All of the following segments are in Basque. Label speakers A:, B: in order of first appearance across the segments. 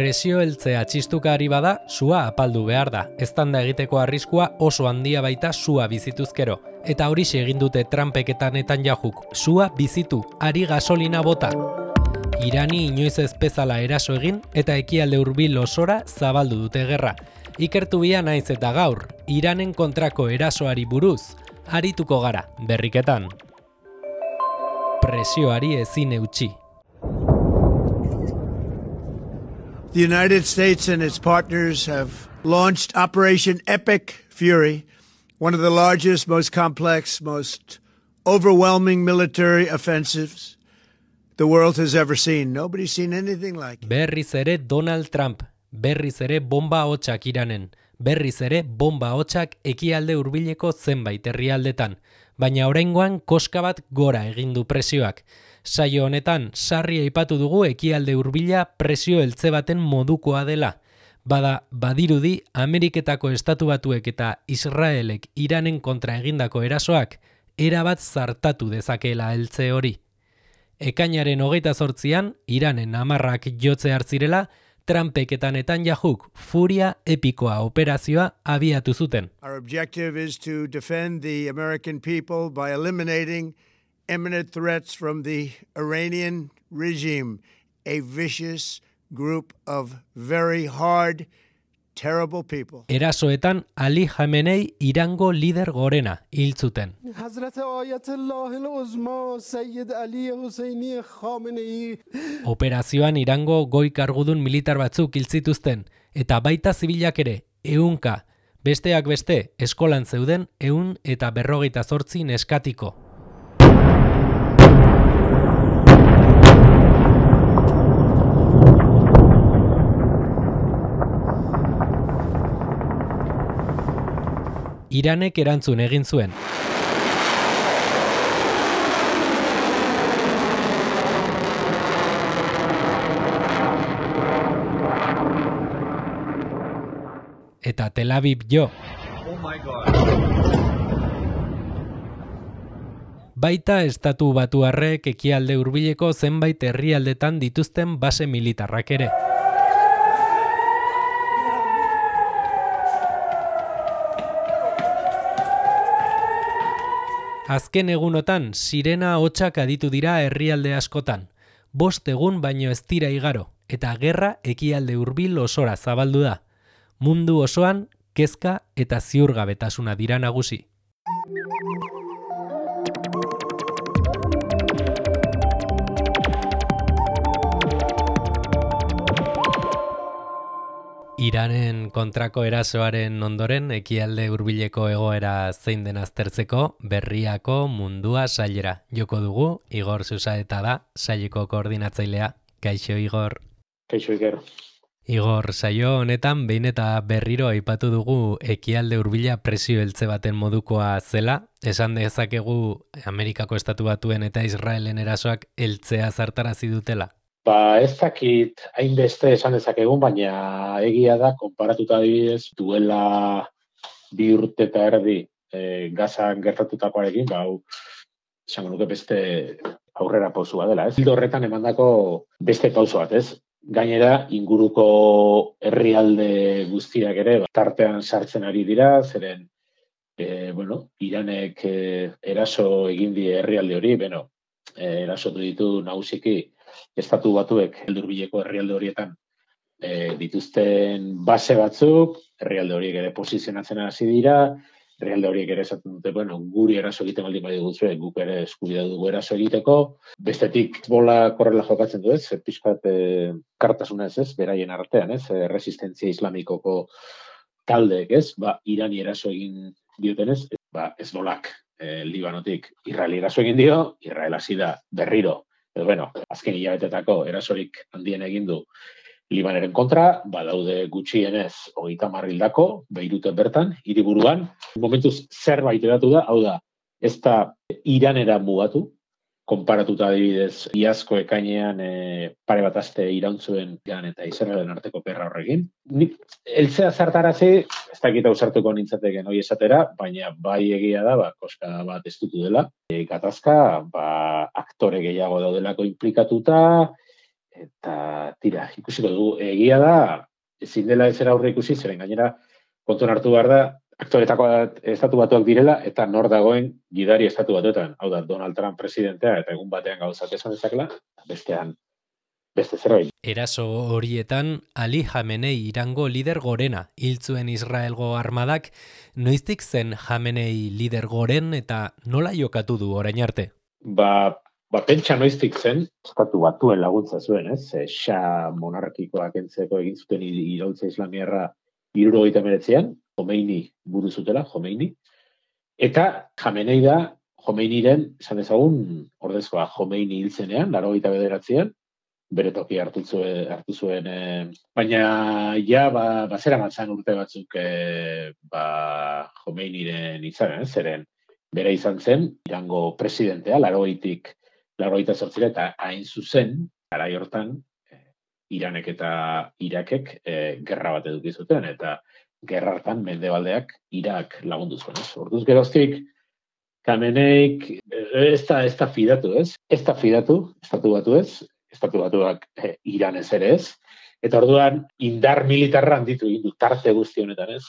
A: Presio heltzea txistukari bada, sua apaldu behar da. Eztanda egiteko arriskua oso handia baita sua bizituzkero. Eta horixe egin dute Trumpek eta Netanyahu, sua bizitu, ari gasolina bota. Irani inoiz ez bezala eraso egin eta ekialde hurbil osora zabaldu dute gerra. Ikertu bia naiz eta gaur, Iranen kontrako erasoari buruz, arituko gara, berriketan. Presioari ezin eutsi.
B: The United States and its partners have launched Operation Epic Fury, one of the largest, most complex, most overwhelming military offensives the world has ever seen. Nobody's seen anything like it.
A: Berriz ere Donald Trump, berriz ere bomba hotsak Iranen, berriz ere bomba hotsak ekialde hurbileko zenbait herrialdetan, baina oraingoan koska bat gora egin du presioak. Saio honetan, sarri aipatu dugu ekialde hurbila presio heltze baten modukoa dela. Bada, badirudi, Ameriketako Estatu Batuek eta Israelek Iranen kontra egindako erasoak, erabat zartatu dezakeela heltze hori. Ekainaren 28an, Iranen 10 jotze hartzirela, Trumpek eta Netanyahuk furia epikoa operazioa abiatu zuten.
B: Our objective is to defend the American people by eliminating imminent threats from the Iranian regime, a vicious group of very hard, terrible people.
A: Erasoetan Ali Khamenei Irango lider gorena hil zuten. Operazioan Irango goi kargudun militar batzuk hil zituzten, eta baita zibilak ere, 100, besteak beste, eskolan zeuden 128 neskatiko. Iranek erantzun egin zuen. Eta Tel Aviv jo. Baita Estatu Batuarrek ekialde hurbileko zenbait herrialdetan dituzten base militarrak ere. Azken egunotan, sirena hotsak aditu dira herrialde askotan. 5 egun baino ez dira igaro, eta gerra ekialde hurbil osora zabaldu da. Mundu osoan, kezka eta ziurgabetasuna dira nagusi. Iranen kontrako erasoaren ondoren ekialde hurbileko egoera zein den aztertzeko berriako mundua sailera joko dugu. Igor Susaeta da, saileko koordinatzailea. Kaixo Igor.
C: Kaixo Iker.
A: Igor, saio honetan behin eta berriro aipatu dugu ekialde hurbila presio heltze baten modukoa zela. Esan dezakegu Amerikako Estatu Batuen eta Israelen erasoak heltzea zartarazi dutela.
C: Ez dakit hainbeste esan dezakegun, baina egia da, konparatuta adibidez, duela 2 urte eta erdi Gazan gertatutakoarekin, esango nuke beste aurrera pausua dela, ez? Ildo horretan emandako beste pauso bat, ez? Gainera, inguruko herrialde guztiak ere, tartean sartzen ari dira, zeren, Iranek eraso egin die herrialde hori, erasotu ditu nagusiki Estatu Batuek hurbileko herrialde horietan dituzten base batzuk, herrialde horiek ere posizionatzen hasi dira, herrialde horiek ere esaten dute, guri eraso egiten baldin badiguzue, guk ere eskubidea dugu eraso egiteko. Bestetik, bola korrela jokatzen du ez, pixkat kartasunez ez, beraien artean ez, resistentzia islamikoko taldeek ez, Irani eraso egin diotenez, Hezbolak Libanotik Israel eraso egin dio, Israel hasi da berriro. Azken hilabetetako erasorik handien egin du Libaneren kontra, badaude gutxienez 30 hildako, Beiruten bertan, hiriburuan. Momentuz zerbait edatu da, hau da, ez da Iranera mugatu, konparatuta adibidez, iazko ekainean pare bat aste irauntzuen Iran eta Israelen arteko perra horrekin. Heltzea zartarazi, ez dakit ausartuko nintzateken hori esatera, baina bai egia da, koska bat estutu dela. Gatazka, aktore gehiago daudelako implikatuta, Eta tira, ikusiko dugu, egia da, ezin dela ezera aurre ikusi, zeren gainera kontuan hartu behar da, aktoretako estatu batuak direla, eta nor dagoen gidari estatu batuetan. Hau da, Donald Trump presidentea, eta egun batean gauzak esan dezakela, bestean, beste zerbait.
A: Eraso horietan, Ali Jamenei Irango lider gorena, hiltzuen Israelgo armadak, noiztik zen Jamenei lider goren eta nola jokatu du orain arte?
C: Pentsa noiztik zen, estatu batuen laguntza zuen, ez? Shah monarkikoak entzeko egin zuten iraultza islamiarra 1979an, Khomeini buru zutela, Khomeini. Eta Jamenei da, Khomeiniren, esan ezagun, ordezkoa Khomeini hiltzenean, 89an, bere toki hartu zuen, baina ja, zera matzan urte batzuk Khomeiniren izan, zeren bere izan zen, Irango presidentea, 88 eta hain zuzen, garai hortan, Iranek eta Irakek gerra bat eduki zuten, eta gerra hartan mendebaldeak Irak lagundu zuen. Orduz geroztik, Khameneik ez da fidatu, ez? Ez da fidatu, estatu batuak Iranez ere ez, eta orduan indar militarra handitu egin du tarte guzti honetan, ez?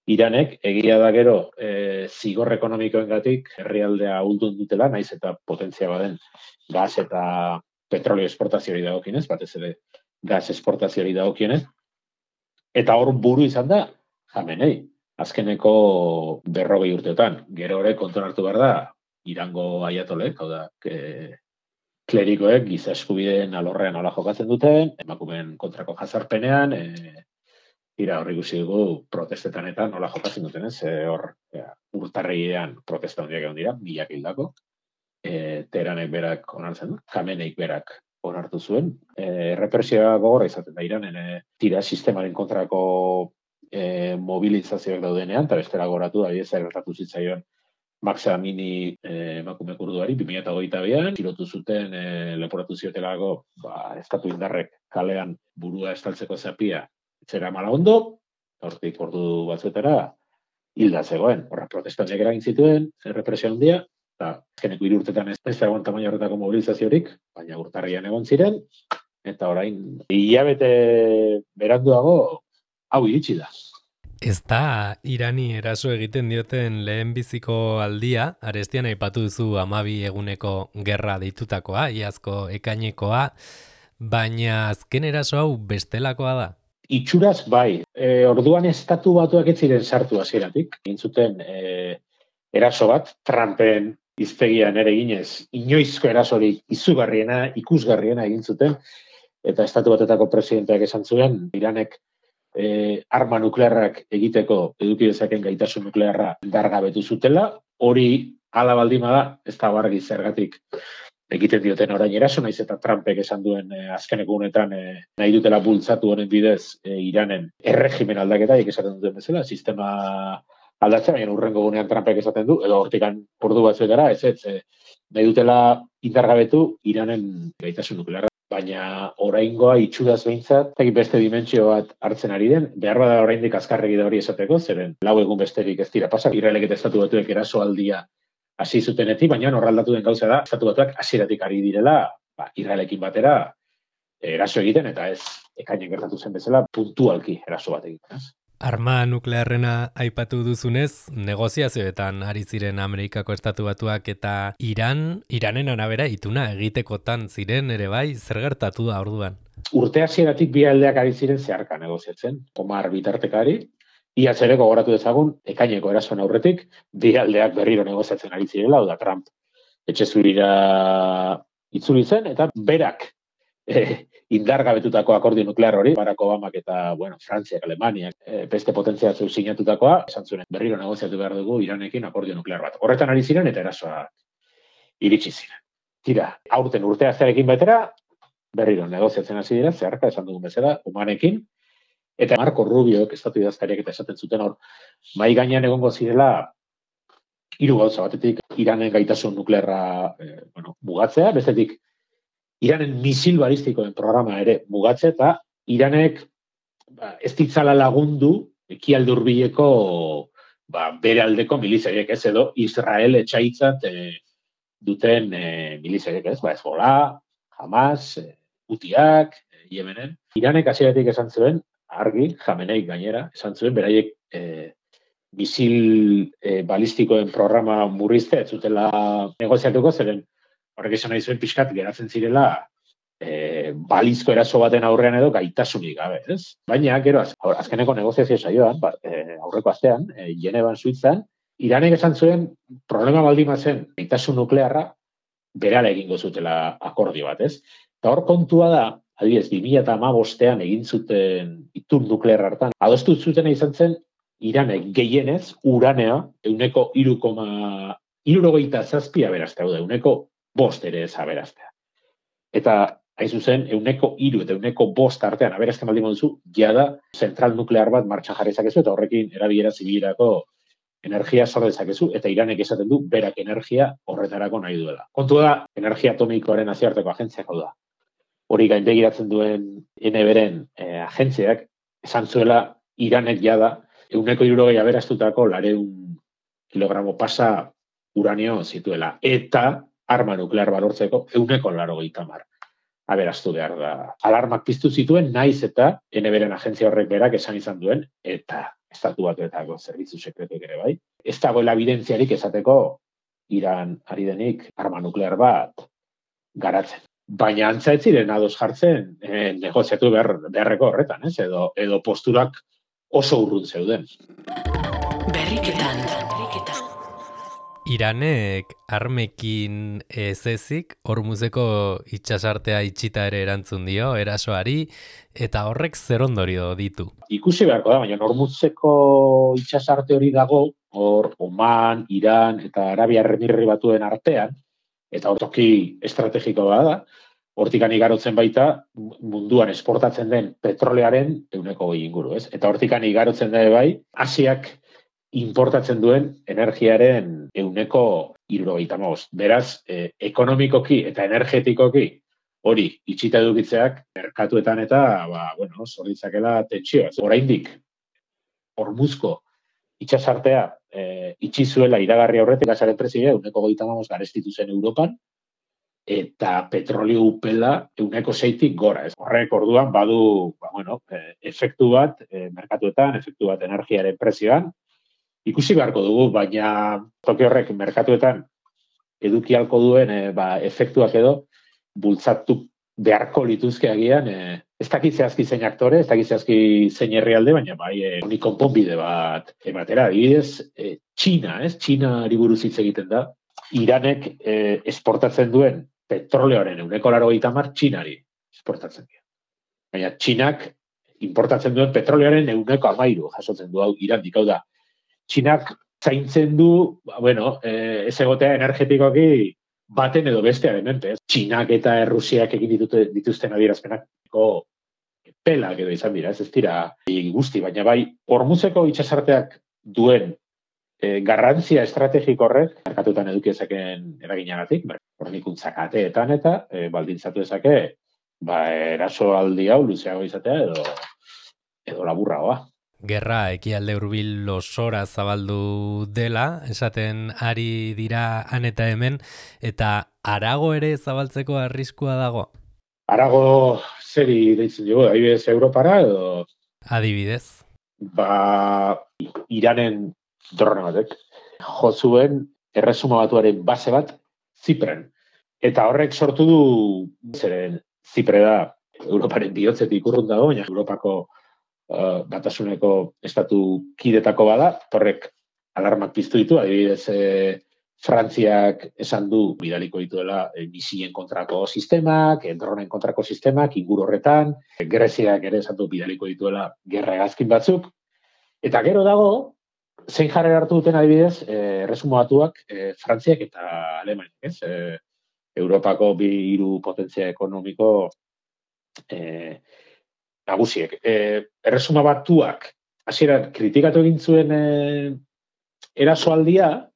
C: Iranek, egia da gero, zigor ekonomikoengatik herrialdea ahuldun dutela, naiz eta potentzia baden gas eta petrolio esportazioari dagokienez, batez ere gas esportazioari dagokienez, eta hor buru izan da Jamenei, azkeneko 40 urteotan. Gero ere kontuan hartu behar da, Irango aiatolek, hau da, klerikoek giza eskubideen alorrean nola jokatzen duten, emakumeen kontrako jazarpenean, hor ikusi dugu protestetan eta nola jokatzen duten, ez? Urtarrilean protesta handiak egon dira, 1000 hildako. Teheranek berak onartzen du, Khameneik berak onartu zuen. Represioa gogorra izaten da Iranen, tira sistemaren kontrako mobilizazioak daudenean, eta bestela goratu da, gertatu zitzaion Mahsa Amini emakume kurduari, 2022an, tirotu zuten, leporatu ziotelako, estatu indarrek kalean burua estaltzeko zapia, zera mala ondo, hortik ordu batzuetara, hilda zegoen. Horra protestanteak eragin zituen, represio handia, eta azkeneko 3 urtetan ez zegoen tamaina horretako mobilizaziorik, baina urtarrian egon ziren, eta orain, hilabete beranduago, hau iritsi da.
A: Ez da Irani eraso egiten dioten lehenbiziko aldia, arestian aipatu duzu 12 eguneko gerra deitutakoa, iazko ekainekoa, baina azken eraso hau bestelakoa da.
C: Itxuraz bai, orduan estatu batuak ez ziren sartu hasieratik, egin zuten eraso bat, Trumpen hiztegian ere eginez, inoizko erasorik izugarriena, ikusgarriena egin zuten, eta estatu batetako presidenteak esan zuen, Iranek arma nuklearrak egiteko eduki dezaken gaitasun nuklearra indargabetu zutela, hori hala baldin bada, ez da argi zergatik egiten dioten orain eraso, naiz eta Trumpek esan duen azkeneko honetan nahi dutela bultzatu honen bidez Iranen erregimen aldaketa, esaten duten bezala, sistema aldatzen, baina urrengo gunean Trumpek esaten du, edo hortikan ordu batzuetara, nahi dutela indargabetu Iranen gaitasun nuklearra. Baina oraingoa itxuraz behintzat, beste dimentsio bat hartzen ari den, behar bada oraindik azkarregi da hori esateko, zeren 4 egun besterik ez dira pasak, Israelek eta estatu batuek erasoaldia hasi zutenetik, baina horraldatu den gauza da, estatu batuak hasieratik ari direla, Israelekin batera eraso egiten, eta ez ekainek gertatu zen bezala, puntualki eraso bat egiten.
A: Arma nuklearrena aipatu duzunez, negoziazioetan ari ziren Amerikako estatu batuak eta Iranen arabera ituna egitekotan ziren ere bai, zer gertatu da orduan?
C: Urte hasieratik bi aldeak ari ziren zeharka negoziatzen, Omar bitartekari, iaz ere gogoratu dezagun, ekaineko erasoen aurretik, bi aldeak berriro negoziatzen ari zirela, hau da Trump etxe zurira itzuli zen, eta berak indargabetutako akordio nuklear hori, Barack Obamak eta, Frantziak, Alemaniak, beste potentzia batzuk sinatutakoa, esan zuen, berriro negoziatu behar dugu Iranekin akordio nuklear bat. Horretan ari ziren eta erasoa iritsi ziren. Tira, aurten urtea zearekin batera, berriro negoziatzen hasi dira, zeharka esan dugun bezala, Omanekin, eta Marco Rubioek, estatu idazkariak eta esaten zuten hor, mai gainean egongo zirela, 3 gauza batetik, Iranen gaitasun nuklearra mugatzea, bestetik, Iranen misil balistikoen programa ere mugatze, eta Iranek ez ditzala lagundu ekialde hurbileko bere aldeko milizaiek, ez edo Israel etxaitzat duten milizaiek, ez, Hezbollah, Hamas, Hutiak, Yemenen. Iranek hasieratik esan zuen, argi, Jameneik gainera, esan zuen, beraiek misil balistikoen programa murriztea ez zutela negoziatuko, zeren horrek esan nahi zuen pixkat geratzen zirela balizko eraso baten aurrean edo gaitasunik gabe, ez? Baina, gero, azkeneko negoziazio saioan, aurreko astean, Genevan, Suitzan, Iranek esan zuen problema baldin bazen gaitasun nuklearra berala egingo zutela akordio bat, ez? Eta hor kontua da, adibidez, 2015ean egin zuten itun nuklear hartan, adostu zutena izan zen Iranek gehienez uranea 3,67 aberastea, da, 1,5 ere ez aberastea. Eta hain zuzen, 1,3 eta 1,5 artean aberazten baldin moduzu, jada zentral nuklear bat martxan jarri zakezu, eta horrekin erabilera zibilerako energia sor dezakezu, eta Iranek esaten du berak energia horretarako nahi duela. Kontua da, energia atomikoaren nazioarteko agentziak hau da. Hori gainbegiratzen duen NBren agentziak, esan zuela Iranek jada 1,60 aberastutako 200 kilogramo pasa uranio zituela. Eta arma nuklear balortzeko 1,80 aberastu behar da. Alarmak piztu zituen, naiz eta NBren agentzia horrek berak esan izan duen, eta Estatu Batuetako zerbitzu sekretuek ere bai. Ez dagoela evidentziarik esateko Iran ari denik arma nuklear bat garatzen. Baina antza ez ziren ados jartzen negoziatu beharreko horretan, ez? Edo posturak oso urrun zeuden.
D: Berriketan.
A: Iranek armekin ez ezik, Hormuzeko itsasartea itxita ere erantzun dio, erasoari, eta horrek zer ondorio ditu.
C: Ikusi beharko da, baina Hormuzeko itsasarte hori dago, hor Oman, Iran eta Arabia Emirri Batuen artean, eta hor toki estrategiko da, hortikan igarotzen baita munduan esportatzen den petrolearen 20% inguru, ez? Eta hortikan igarotzen da bai, Asiak importatzen duen energiaren 75%. Beraz, ekonomikoki eta energetikoki hori itxita edukitzeak merkatuetan eta, sor ditzakela tentsioa. Oraindik Hormuzko itsasartea itxi zuela iragarri aurretik gasaren prezioa 25% garestitu zen Europan, eta petrolio upela 6%tik gora. Horrek orduan badu efektu bat merkatuetan, efektu bat energiaren prezioan. Ikusi beharko dugu, baina toki horrek merkatuetan eduki halko duen efektuak edo bultzatu beharko lituzke agian, ez dakit zehazki zein aktore, ez dakit zehazki zein herrialde, baina honi konponbide bat ematera. Adibidez, Txinari buruz hitz egiten da, Iranek esportatzen duen petroleoaren 80% Txinari esportatzen dira. Baina Txinak importatzen duen petroleoaren 13% jasotzen du hau Irandik, hau da. Txinak zaintzen du, ez egotea energetikoki baten edo bestearen menpe. Txinak eta Errusiak egin dituzten adierazpenak pelak edo izan dira, ez dira guzti, baina bai Hormuzeko itsasarteak duen garrantzia estrategiko horrek, merkatuetan eduki ezaken eraginagatik, hornikuntzak ateetan eta baldintzatu ezake, erasoaldi hau luzeago izatea edo laburragoa.
A: Gerra ekialde hurbil osora zabaldu dela, esaten ari dira han eta hemen, eta harago ere zabaltzeko arriskua dago?
C: Harago zeri deitzen dugu, adibidez Europara edo?
A: Adibidez.
C: Iranen drone batek jo zuen Erresuma Batuaren base bat Zipren. Eta horrek sortu du, zeren Zipre da Europaren bihotzetik urrun dago, baina Europako batasuneko estatu kidetako bada, horrek alarmak piztu ditu, adibidez Frantziak esan du bidaliko dituela misilen kontrako sistemak, dronen kontrako sistemak, inguru horretan, Greziak ere esan du bidaliko dituela gerra hegazkin batzuk, eta gero dago, zein jarrera hartu duten adibidez, Erresuma Batuak Frantziak eta Alemaniak, ez? Europako bi hiru potentzia ekonomiko nagusiek. Erresuma Batuak hasieran kritikatu egin zuen erasoaldia,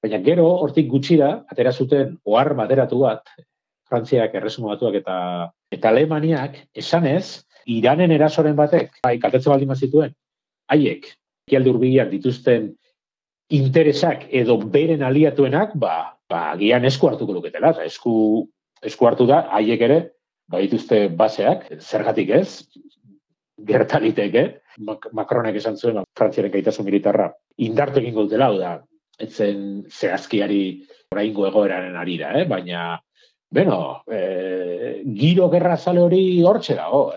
C: baina gero hortik gutxira atera zuten ohar bateratu bat, Frantziak, Erresuma Batuak eta Alemaniak esanez, Iranen erasoren batek, kaltetze baldin bazituen, haiek ekialde hurbilean dituzten interesak edo beren aliatuenak, agian esku hartuko luketela, eta esku hartu da, haiek ere badituzte baseak, zergatik ez, gertaliteke, Macronek esan zuen, Frantziaren gaitasun militarra, indartu egingo dutela, hau da, etzen zehazkiari oraingo egoeraren arira, baina, giro gerra zale hori hortxe dago,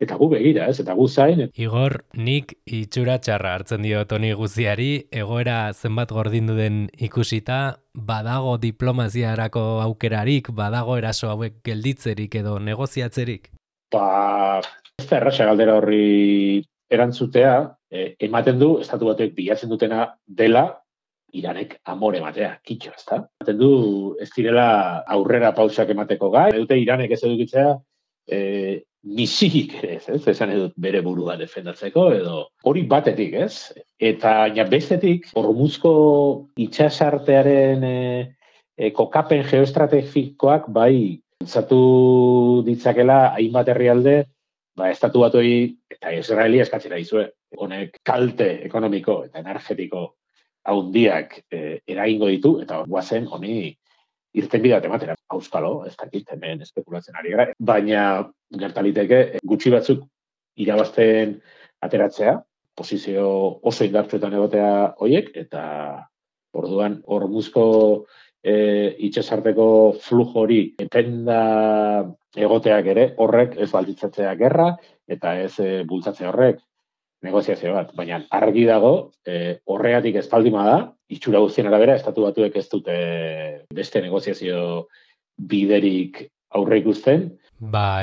C: eta gu begira, eta gu zain.
A: Igor, nik itxura txarra hartzen dio Toni guziari, egoera zenbat gordindu den ikusita, badago diplomaziarako aukerarik, badago eraso hauek gelditzerik edo negoziatzerik?
C: Ez da erraxa galdera horri erantzutea, ematen du, estatu batuek bilatzen dutena dela, Iranek amore ematea, kitxo, ez da? Ematen du, ez direla aurrera pausak emateko gai, dute Iranek ez edukitzea, misilik ere ez, esan edut bere burua defendatzeko, edo hori batetik, ez? Eta bestetik, Hormuzko itsasartearen kokapen geoestrategikoak bai bultzatu ditzakela hainbat herrialde, estatu batuei eta Israeli eskatzera dizue. Honek kalte ekonomiko eta energetiko haundiak eragingo ditu, eta guazen honi irtenbide bat ematera. Auskalo, ez dakit, hemen espekulatzen ari gara. Baina gertaliteke gutxi batzuk irabazten ateratzea, posizio oso indartsuetan egotea hoiek, eta orduan Hormuzko itsasarteko flujo hori etenda egoteak ere horrek ez balditzatzea gerra, eta ez bultzatzea horrek negoziazio bat. Baina argi dago, horregatik ez baldin bada, itxura guztien arabera, estatu batuek ez dute beste negoziazio biderik aurre ikusten.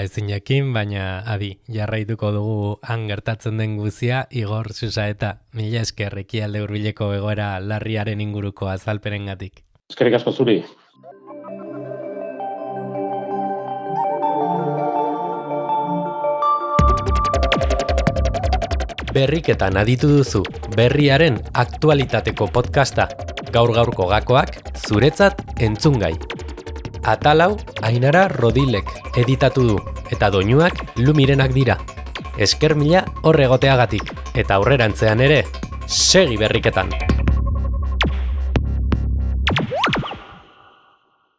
A: Ezin jakin, baina adi, jarraituko dugu han gertatzen den guzia, Igor Susaeta, mila esker Ekialde Hurbileko egoera larriaren inguruko azalperengatik.
C: Eskerrik asko zuri.
A: Berriketan aditu duzu, berriaren aktualitateko podcasta, gaur-gaurko gakoak zuretzat entzungai. Atalau Ainara Rodilek editatu du, eta doinuak Lumirenak dira. Esker mila hor egoteagatik, eta aurrerantzean ere, segi berriketan!